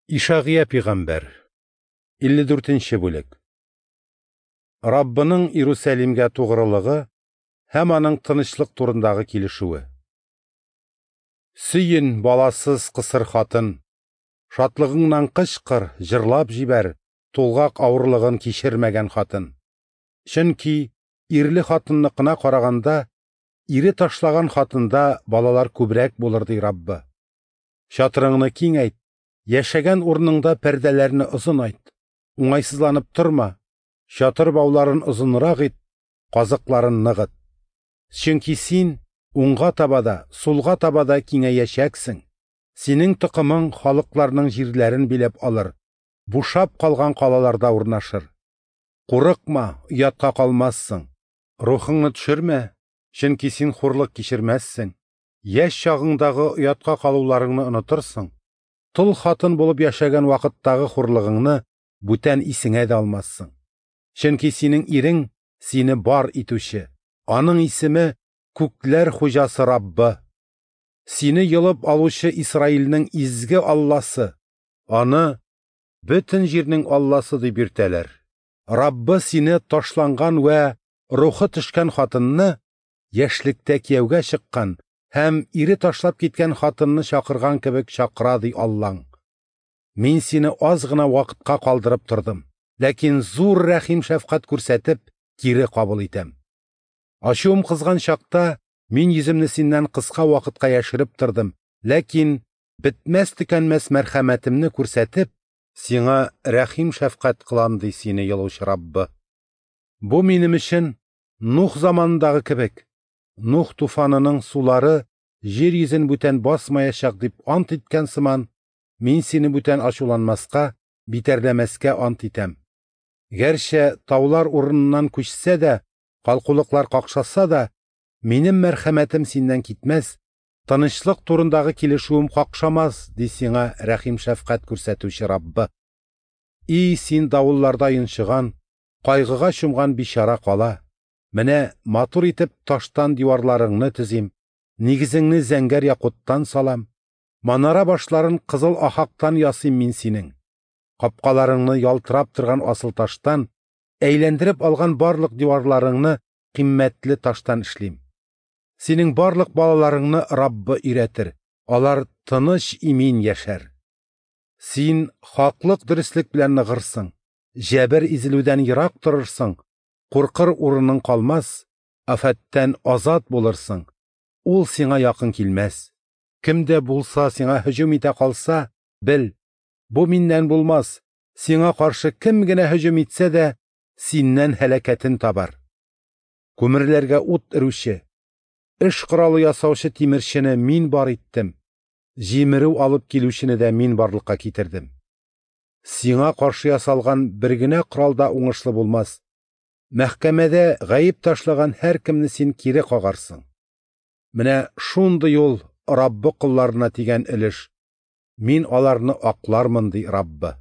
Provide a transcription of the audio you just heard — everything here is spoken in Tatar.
Ишагыя пигамбәр, 54 нче бүлек. Раббының Иерусалимгә тугрылыгы һәм аның тынычлык турындагы килешүе. Сөен, баласыз кысыр хатын, шатлыгыңнан кычкыр, җырлап җибәр, тулгак авырлыгын кичермәгән хатын. Чөнки ирле хатынныкына караганда, ире ташлаган хатында балалар күбрәк булыр, ди Раббы. Чатырыңны киңәйт, яшәгән урыныңда пәрдәләрне озынайт, уңайсызланып торма, чатыр бауларын озынрак ит, казыкларын ныгыт. Чөнки син уңга таба да, сулга таба да киңәячәксең. Синең токымың халыкларның җирләрен биләп алыр, бушап калган калаларда урнашыр. Курыкма, оятка калмассың. Рухыңны төшермә, чөнки син хурлык кичермәссең. Яшь чагыңдагы оятка калуларыңны онытырсың. Тол хатын булып яшәгән вакыттагы хурлыгыңны бүтән исеңә дә алмассың. Чөнки синең ирең сине бар итүче, аның исеме күкләр хуҗасы Раббы. Сине йолып алучы Исраилнең изге Алласы, аны бөтен җирнең Алласы дип йөртәләр. Раббы сине ташланган вә рухы төшкән хатынны, яшьлектә кияүгә чыккан һәм ире ташлап киткән хатынны чакырган кебек чакыра, ди Аллаң. Мин сине аз гына вакытка калдырып тордым, ләкин зур рәхим-шәфкать күрсәтеп, кире кабул итәм. Ачуым кызган чакта мин йөземне синнән кыска вакытка яшереп тордым, ләкин бетмәс-төкәнмәс мәрхәмәтемне күрсәтеп, сиңа рәхим-шәфкать кылам, ди сине йолучы Раббы. Бу минем өчен Нух заманындагы кебек, Нух туфанының сулары җир йөзен бүтән басмаячак дип ант иткән сыман, мин сине бүтән ачуланмаска, битәрләмәскә ант итәм. Гәрчә таулар урыныннан күчсә дә, калкулыклар какшаса да, минем мәрхәмәтем синнән китмәс, тынычлык турындагы килешүем какшамас, ди сиңа рәхим-шәфкать күрсәтүче Раббы. И син давылларда йончыган, кайгыга чумган бичара кала! Менә матур итеп таштан диварларыңны төзим, нигезеңне зәңгәр якуттан салам, манара башларын кызыл ахактан ясыйм мин синең. Капкаларыңны ялтырап торган асыл таштан, әйләндереп алган барлык диварларыңны кыйммәтле таштан эшлим. Синең барлык балаларыңны Раббы өйрәтер, алар тыныч имин яшәр. Син хаклык дөреслек белән ныгырсың, җәбер изелүдән ерак торырсың, куркыр урының калмас, афәттән азат булырсың, ул сиңа якын килмәс. Кем дә булса сиңа һөҗүм итә калса, бел, бу миннән булмас, сиңа каршы кем генә һөҗүм итсә дә, синнән һәлакәтен табар. Күмерләргә ут өрүче, эш коралы ясаучы тимерчене мин бар иттем, җимерү алып килүчене дә мин барлыкка китердем. Сиңа каршы ясалган бер генә корал да уңышлы булмас. Мәхкәмәдә гаеп ташлаган һәркемне син кире кагарсың. Менә шундый ул Раббы колларына тигән өлеш. Мин аларны аклармын, ди Раббы.